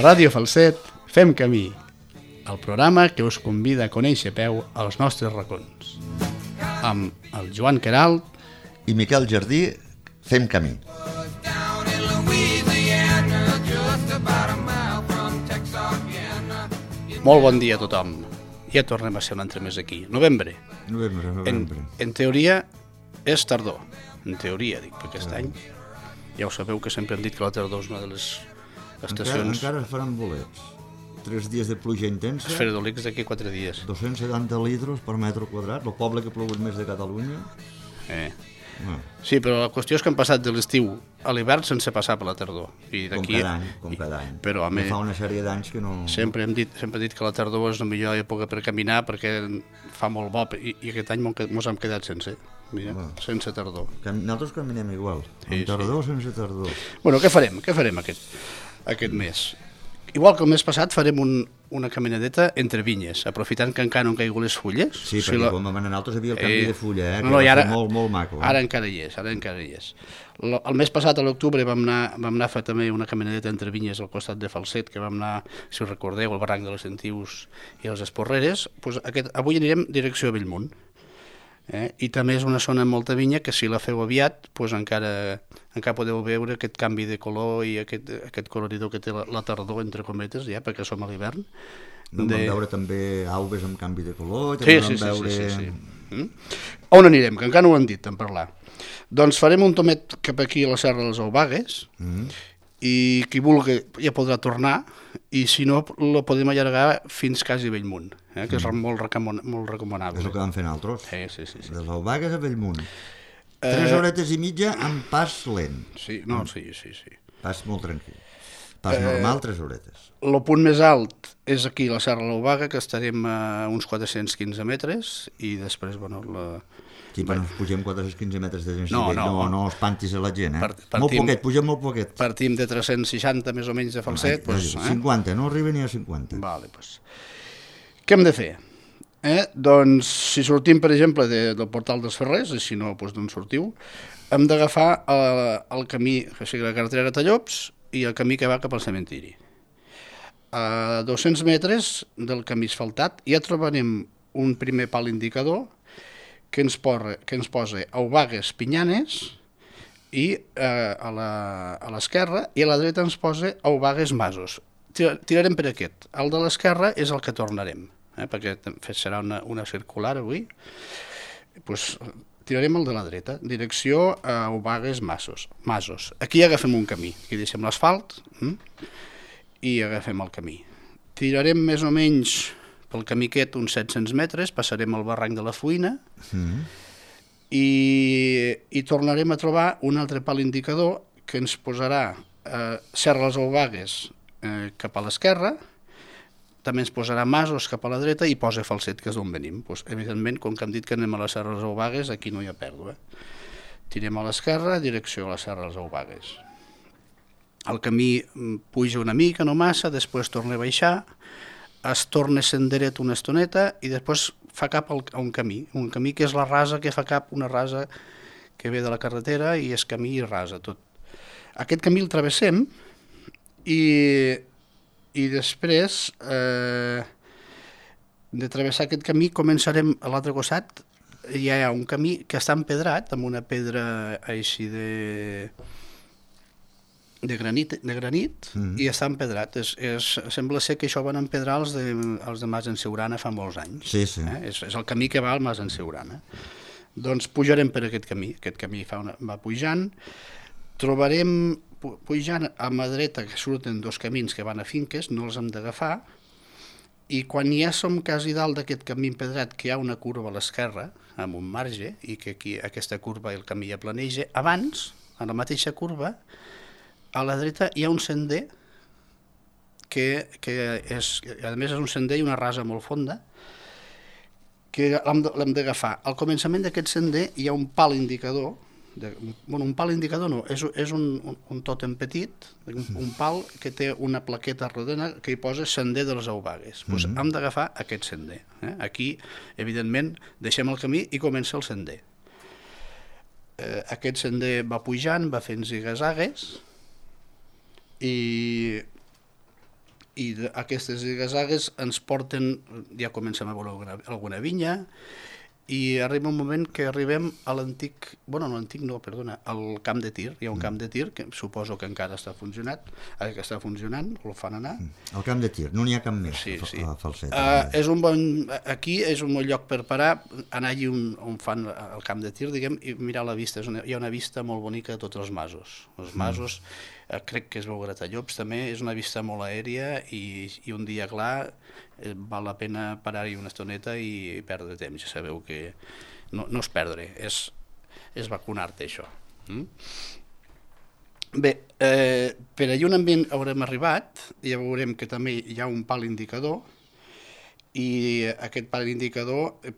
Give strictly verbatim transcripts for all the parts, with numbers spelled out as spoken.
Ràdio Falset fem camí, el programa que us convida a conèixer a peu els nostres racons. Amb el Joan Queralt i Miquel Jardí fem camí. Molt bon dia a tothom. Ja tornem a ser un altre mes aquí. Novembre. Novembre, novembre. En, en teoria és tardor. En teoria, dic, perquè aquest any ja ho sabeu que sempre hem dit que la tardor és una de les estacions... Encara, encara faran bolets. Tres dies de pluja intensa. Els fredolics d'aquí quatre dies. dos-cents setanta litres per metre quadrat, el poble que ha plogut més de Catalunya. Eh. No. Sí, però la qüestió és que hem passat de l'estiu a l'hivern sense passar per la tardor. I Com cada any, com cada any. Però, home, fa una sèrie d'anys que no... Sempre hem dit, sempre he dit que la tardor és la millor època per caminar perquè fa molt bo i, i aquest any mos hem quedat sense. Mira, bueno, sense tardor. Nosaltres caminem igual, sí, amb tardor o sí. sense tardor. Bueno, què farem? Què farem aquest, aquest mes? Igual que el mes passat farem un, una caminadeta entre vinyes, aprofitant que encara no han caigut les fulles. Sí, perquè si la... com a nosaltres havia el canvi eh... de fulla, eh, que no, no, va ara, ser molt, molt maco. Eh? Ara encara hi és, ara encara hi és. El, el mes passat, a l'octubre, vam anar, vam anar a fer també una caminadeta entre vinyes al costat de Falset, que vam anar, si us recordeu, al barranc de les Sentius i els Esporreres. Pues aquest, avui anirem direcció a Bellmunt. Eh? I també és una zona amb molta vinya que si la feu aviat pues encara, encara podeu veure aquest canvi de color i aquest, aquest coloridor que té la, la tardor, entre cometes, ja, perquè som a l'hivern. No de... Vam veure també aubes amb canvi de color. Sí, sí, sí, veure... sí, sí, sí. Mm? On anirem? Que encara no ho han dit en parlar. Doncs farem un tomet cap aquí a la Serra dels Aubagues, mm. i qui vulgui ja podrà tornar, i si no, la podem allargar fins quasi a Bellmunt, eh, que és mm. molt, recomana, molt recomanable. És el que vam fer nosaltres. Sí, sí, sí, sí. De les Aubagues a Bellmunt. Tres eh... horetes i mitja amb pas lent. Sí, no, sí, sí, sí. Pas molt tranquil. Pas eh... normal, tres horetes. El punt més alt és aquí, la Serra de l'Aubaga, que estarem a uns quatre-cents quinze metres, i després, bueno, la... Sí, però no pugem quatre-cents quinze metres de gent, no, no, no, no espantis a la gent, eh? Partim, molt poquet, pugem molt poquet. Partim de tres-cents seixanta més o menys de Falset. Ah, pues, eh? cinquanta, no arriba ni a cinquanta. Vale, pues. Què hem de fer? Eh? Doncs, si sortim, per exemple, de, del Portal dels Ferrers, i si no, doncs d'on sortiu, hem d'agafar el, el camí, o sigui, la carretera Tallops, i el camí que va cap al cementiri. A dos-cents metres del camí asfaltat ja trobarem un primer pal indicador que ens, porra, que ens posa Aubagues Pinyanes i eh, a l'esquerra, i a la dreta ens posa Aubagues Masos. Tirarem per aquest. El de l'esquerra és el que tornarem, eh, perquè serà una, una circular avui. Pues, tirarem el de la dreta, direcció a Aubagues Masos. Masos. Aquí agafem un camí, aquí deixem l'asfalt hm? i agafem el camí. Tirarem més o menys pel camí aquest uns set-cents metres, passarem al barranc de la Fuïna mm. i, i tornarem a trobar un altre pal indicador que ens posarà eh, Serra dels Aubagues eh, cap a l'esquerra, també ens posarà Masos cap a la dreta i posa Falset, que és d'on venim. Pues, evidentment, com que hem dit que anem a la Serra dels Aubagues, aquí no hi ha pèrdua. Tirem a l'esquerra, direcció a la Serra dels Aubagues. El camí puja una mica, no massa, després torna a baixar, es torna senderet una estoneta i després fa cap a un camí, un camí que és la rasa que fa cap, una rasa que ve de la carretera i és camí i rasa tot. Aquest camí el travessem i, i després eh, de travessar aquest camí començarem a l'altre costat, hi ha un camí que està empedrat amb una pedra així de... de granit, de granit mm. i està empedrat. És, és, sembla ser que això van empedrar els de, els de Mas en Siurana fa molts anys. Sí, sí. Eh? És, és el camí que va al Mas en Siurana. Doncs pujarem per aquest camí. Aquest camí fa una, va pujant. Trobarem, pujant a mà dreta, que surten dos camins que van a finques, no els hem d'agafar, i quan ja som quasi dalt d'aquest camí empedrat, que hi ha una curva a l'esquerra, amb un marge, i que aquí aquesta curva el camí ja planeja, abans, a la mateixa curva, a la dreta hi ha un sender que, que és, a més és un sender i una rasa molt fonda que l'hem d'agafar. Al començament d'aquest sender hi ha un pal indicador, de, bueno, un pal indicador no, és, és un, un, un tòtem petit, un, un pal que té una plaqueta rodona que hi posa sender de les Aubagues. Pues mm-hmm. hem d'agafar aquest sender. Eh? Aquí, evidentment, deixem el camí i comença el sender. Eh, aquest sender va pujant, va fent zigazagues, i i aquestes zigazagues ens porten, ja comencem a veure alguna, alguna vinya, i arriba un moment que arribem a l'antic, bueno, no l'antic no, perdona, al camp de tir. Hi ha un camp de tir que suposo que encara està funcionant, eh, que està funcionant, el fan anar. El camp de tir, no n'hi ha cap més, sí, sí. a Falset. Uh, és un bon, aquí és un bon lloc per parar, anar allí on, on fan el camp de tir, diguem, i mirar la vista. És una, hi ha una vista molt bonica de tots els masos. Els masos, mm. eh, crec que es veu Gratallops també, és una vista molt aèria i, i un dia clar eh, val la pena parar-hi una estoneta i perdre temps. Ja sabeu que no, no és perdre, és, és vacunar-te, això. Mm? Bé, eh, per allà on haurem arribat, ja veurem que també hi ha un pal indicador, i aquest pal indicador eh,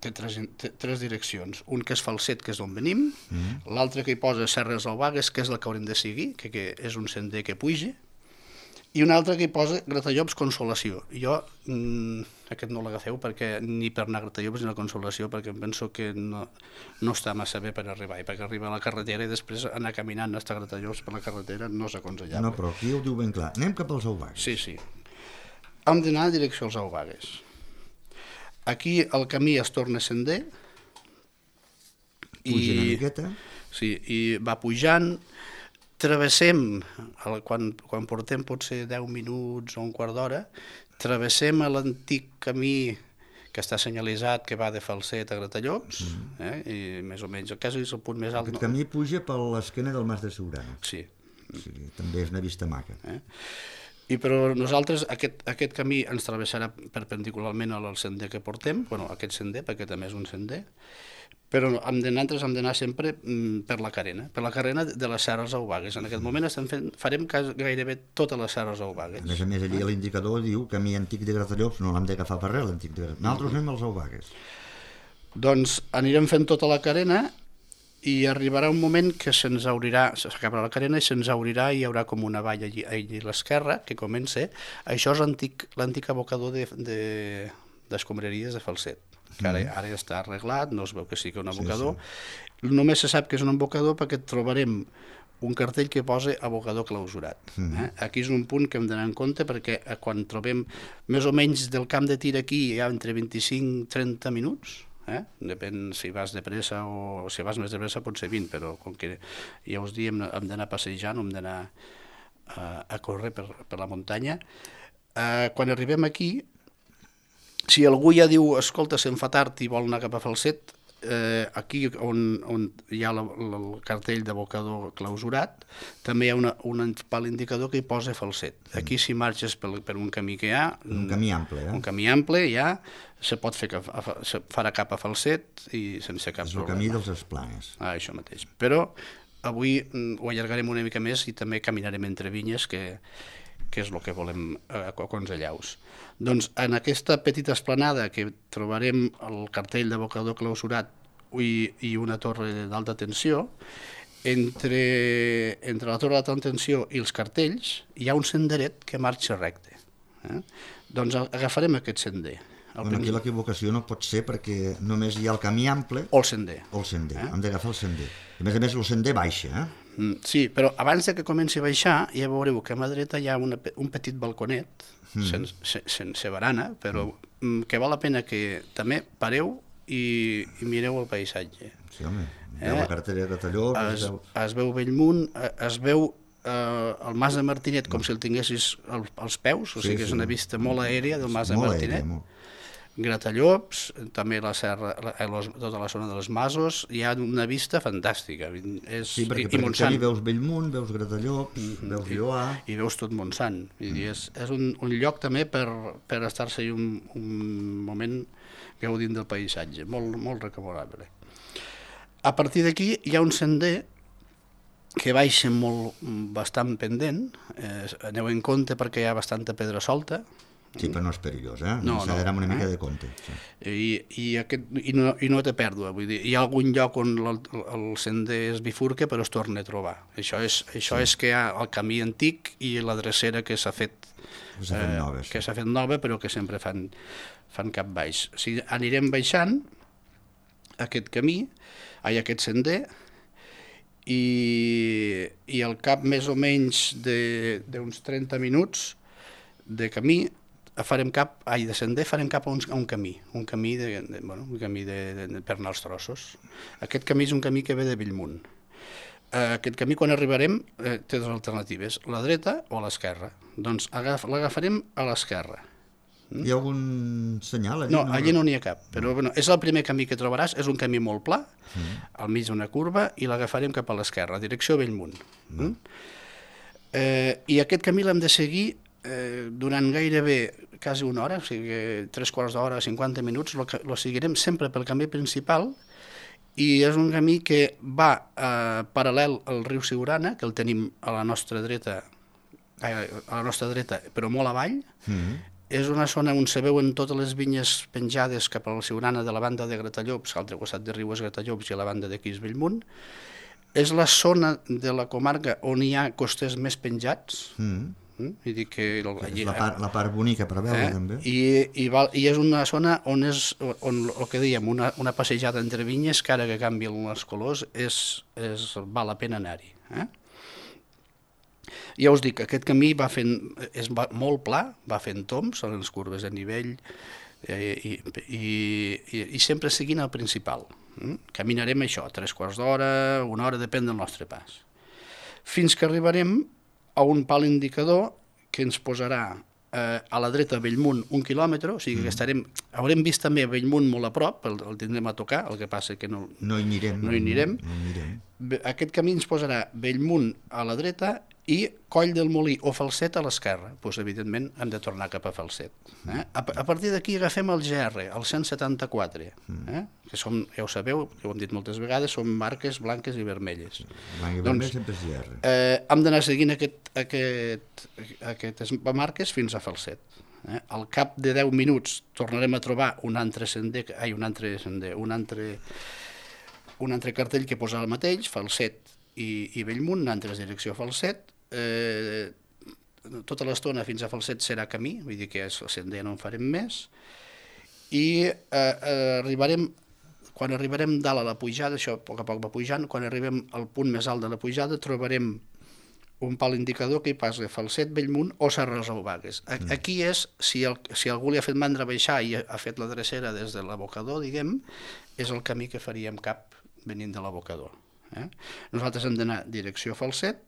té, tres, té tres direccions. Un que és Falset, que és d'on venim, mm. l'altre que hi posa Serres Albagues, que és la que haurem de seguir, que, que és un sender que puja, i un altre que hi posa Gratallops Consolació. Jo mm, aquest no l'agafeu perquè ni per anar a Gratallops ni a la Consolació, perquè em penso que no, no està massa bé per arribar, i perquè arriba a la carretera i després anar caminant fins a Gratallops per la carretera no és aconsellable. No, però aquí ho diu ben clar. Anem cap als Albagues. Sí, sí. Hem d'anar en direcció als Albagues. Aquí el camí es torna sender. Puja i, una miqueta. Sí, i va pujant. Travessem, quan, quan portem potser deu minuts o un quart d'hora, travessem l'antic camí que està senyalitzat, que va de Falset a Gratallops, mm. eh? I més o menys, el cas és el punt més alt. Aquest no... camí puja per l'esquena del Mas de Siurana. Sí. O sigui, també és una vista maca. Eh? I però nosaltres aquest, aquest camí ens travessarà perpendicularment al sender que portem, bueno, aquest sender, perquè també és un sender, però hem d'anar, hem d'anar sempre per la carena, per la carena de les Serres Albagues. En aquest moment estem fent, farem gairebé totes les Serres Albagues. A més a més, allí l'indicador diu camí antic de Gratallops, no l'hem d'agafar per res, l'antic de Gratallops. Nosaltres anem als Albagues. Doncs anirem fent tota la carena i arribarà un moment que se'ns obrirà, s'acabarà la carena i se'ns obrirà i hi haurà com una valla allí, allí a l'esquerra que comença. Això és l'antic abocador de, de, d'escombraries de Falset, que ara, ara està arreglat, no es veu que sigui un abocador. Sí, sí. Només se sap que és un abocador perquè trobarem un cartell que posa abocador clausurat. Mm. Eh? Aquí és un punt que hem d'anar en compte perquè quan trobem més o menys del camp de tir aquí hi ha entre vint-i-cinc i trenta minuts, eh? Depèn si vas de pressa o si vas més de pressa pot ser vint, però com que ja us diem hem d'anar passejant, hem d'anar uh, a córrer per, per la muntanya. Uh, quan arribem aquí, si algú ja diu, escolta, se'n fa tard i vol anar cap a Falset, eh, aquí on, on hi ha la, la, el cartell d'abocador clausurat, també hi ha una, un pal indicador que hi posa Falset. Aquí si marxes per, per un camí que hi ha... Un camí ample, eh? Un camí ample, ja, se pot fer, se farà cap a Falset i sense cap problema. És el camí dels Esplanes. Ah, això mateix. Però avui ho allargarem una mica més i també caminarem entre vinyes, que, que és el que volem aconsellar-vos. Doncs en aquesta petita esplanada que trobarem el cartell d'abocador clausurat i, i una torre d'alta tensió, entre, entre la torre d'alta tensió i els cartells hi ha un senderet que marxa recte. Eh? Doncs agafarem aquest sender. Bueno, aquí l'equivocació no pot ser perquè només hi ha el camí ample o el sender. O el sender, eh? Hem d'agafar el sender. A més a més, el sender baixa, eh? Sí, però abans de que comenci a baixar, ja veureu que a mà dreta hi ha una, un petit balconet, mm. sense, sense barana, però mm. que val la pena que també pareu i, i mireu el paisatge. Sí, home, veu eh? la carretera de Gratallops... Es, veu... es veu Bellmunt, es veu eh, el Mas de Martinet com no. si el tinguessis al, als peus, o sí, sigui que és una vista molt aèria del Mas de Martinet. Aèria, molt. Gratallops, també la serra, la, tota la zona dels Masos, hi ha una vista fantàstica. És, sí, perquè per aquí veus Bellmunt, veus Gratallops, mm-hmm. veus Lloà... I, i veus tot Montsant. Mm. És, és un, un lloc també per, per estar-se un, un moment gaudint del paisatge, molt, molt recomanable. A partir d'aquí hi ha un sender que baixa molt, bastant pendent, eh, aneu en compte perquè hi ha bastanta pedra solta. Sí, però no és perillós, eh? No, no, una mica eh? de compte. Sí. I, i, aquest, i, no, i no té pèrdua, vull dir, hi ha algun lloc on el, el sender es bifurca però es torna a trobar. Això és, això sí. és que hi ha el camí antic i la drecera que s'ha fet, eh, nova, sí. que s'ha fet nova però que sempre fan, fan cap baix. O sigui, anirem baixant aquest camí, hi ha aquest sender, i, i al cap més o menys d'uns trenta minuts de camí farem cap, ai, de sender farem cap a un, a un camí, un camí, de, de, bueno, un camí de, de, de, per anar als trossos. Aquest camí és un camí que ve de Bellmunt. Uh, aquest camí, quan arribarem, eh, té dues alternatives, la dreta o l'esquerra. Doncs agaf, l'agafarem a l'esquerra. Mm? Hi ha algun senyal? Allí? No, allí no n'hi ha cap, però bueno, és el primer camí que trobaràs, és un camí molt pla, mm. al mig d'una curva, i l'agafarem cap a l'esquerra, direcció Bellmunt. Mm. Mm? Eh, I aquest camí l'hem de seguir eh, durant gairebé quasi una hora, o sigui, tres quarts d'hora, cinquanta minuts, lo seguirem sempre pel camí principal, i és un camí que va eh, paral·lel al riu Siurana, que el tenim a la nostra dreta, eh, a la nostra dreta, però molt avall. Mm-hmm. És una zona on se veuen totes les vinyes penjades cap a la Siurana de la banda de Gratallops, l'altre costat de riu és Gratallops i a la banda d'aquí és Bellmunt. És la zona de la comarca on hi ha costers més penjats. Mm. Mm? I dic que el, allí, la, part, la part bonica per veure, eh? també. I, i, val, I és una zona on, és, on el que dèiem, una, una passejada entre vinyes, que ara que canvien els colors, és, és, val la pena anar-hi. Eh? Ja us dic, aquest camí va fent, és molt pla, va fent tombs, en les curves de nivell, eh, i, i, i, i sempre seguint el principal. Mm? Caminarem això, tres quarts d'hora, una hora, depèn del nostre pas. Fins que arribarem a un pal indicador que ens posarà eh, a la dreta a Bellmunt un quilòmetre, o sigui que estarem, haurem vist també Bellmunt molt a prop, el, el tindrem a tocar, el que passa que no, no hi anirem. No hi anirem. No, no hi anirem. Aquest camí ens posarà Bellmunt a la dreta i Coll del Molí o Falset a l'esquerra. Doncs, evidentment, hem de tornar cap a Falset. Eh? A, a partir d'aquí agafem el G R, el cent setanta-quatre, eh? que som, ja ho sabeu, ho hem dit moltes vegades, són marques blanques i vermelles. Blanc i vermell sempre és G R. Eh, hem d'anar seguint aquest, aquest, aquestes marques fins a Falset. Eh? Al cap de deu minuts tornarem a trobar un altre sender, ai, un altre sender, un altre, un altre cartell que posa el mateix, Falset i, i Bellmunt, en altres direcció a Falset. Eh, tota l'estona fins a Falset serà camí, vull dir que és sender, no en farem més, i eh, eh, arribarem, quan arribarem dalt a la pujada, això a poc a poc va pujant, quan arribem al punt més alt de la pujada trobarem un pal indicador que hi passa Falset, Bellmunt o Serres Albagues. Aquí és, si, el, si algú li ha fet mandra baixar i ha fet la drecera des de l'abocador, diguem, és el camí que faríem cap venint de l'abocador. Eh? Nosaltres hem d'anar direcció a Falset,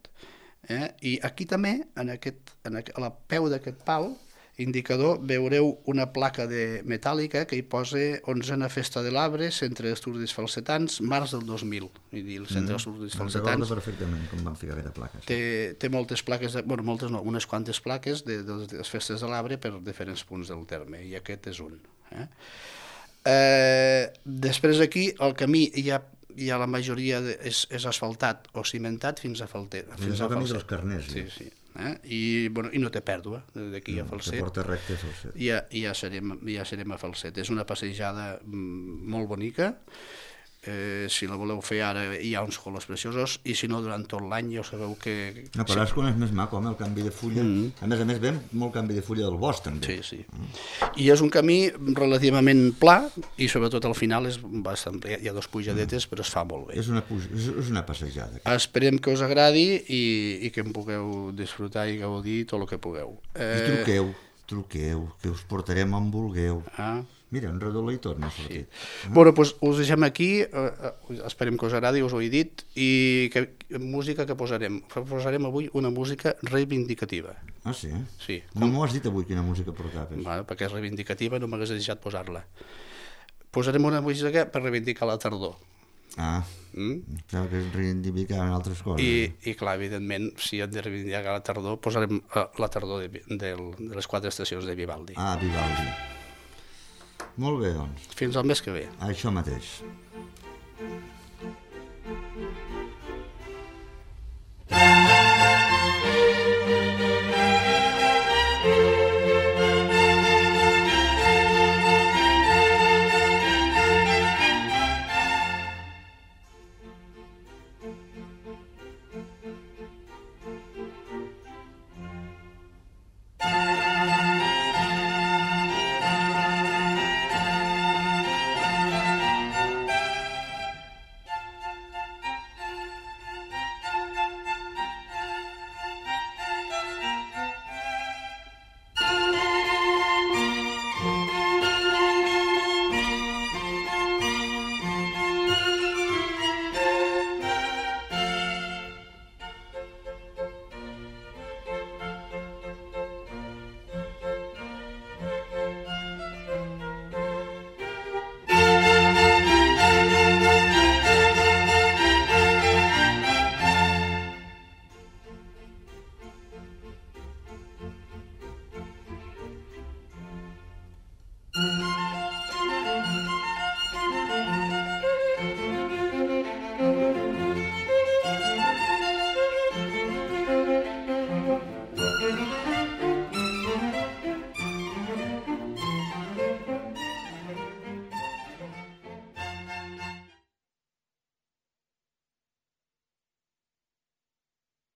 eh? I aquí també, en aquest, en aquest, a la peu d'aquest pal indicador, veureu una placa de metàl·lica que hi posa onzena Festa de l'Arbre, Centre d'Estudis Falsetans, març del dos mil. Vull dir, el Centre d'Estudis mm, Falsetans... Recordo perfectament com van ficar aquesta placa. Sí. Té, té moltes plaques, de, bueno, moltes no, unes quantes plaques de, de, de les festes de l'Arbre per diferents punts del terme, i aquest és un. Eh? Eh, després aquí, el camí hi ha ja la majoria de, és, és asfaltat o cimentat fins a Falset. Fins al camí dels Carners. Sí, sí. Eh? I, bueno, I no té pèrdua d'aquí no, a Falset. Que porta recte a Falset. I ja, ja, serem, ja serem a Falset. És una passejada molt bonica. Eh, si la voleu fer ara hi ha uns colors preciosos, i si no durant tot l'any ja ho sabeu que... No, però és quan és més maco, home, el canvi de fulla. Mm. A més a més veiem molt canvi de fulla del bosc també. Sí, sí. Mm. I és un camí relativament pla i sobretot al final és bastant ple. Hi ha dos pujadetes, mm. però es fa molt bé. És una, és una passejada. Esperem que us agradi i, i que en pugueu disfrutar i gaudir tot el que pugueu. Eh... I truqueu, truqueu, que us portarem on vulgueu. Ah. Mira, un redoló i tot m'ha sortit. Sí. Ah. Bueno, doncs us deixem aquí, eh, esperem que us agradi, us ho he dit, i que, música que posarem. Posarem avui una música reivindicativa. Ah, sí? Sí. No m'ho has dit avui quina música portaves. Bueno, perquè és reivindicativa, no m'hagués deixat posar-la. Posarem una música per reivindicar la tardor. Ah, mm? Clar que es reivindicaven altres coses. I, i clar, evidentment, si hem de reivindicar la tardor, posarem la tardor de, de, de les quatre estacions de Vivaldi. Ah, Vivaldi. Molt bé, doncs. Fins al mes que ve. Això mateix.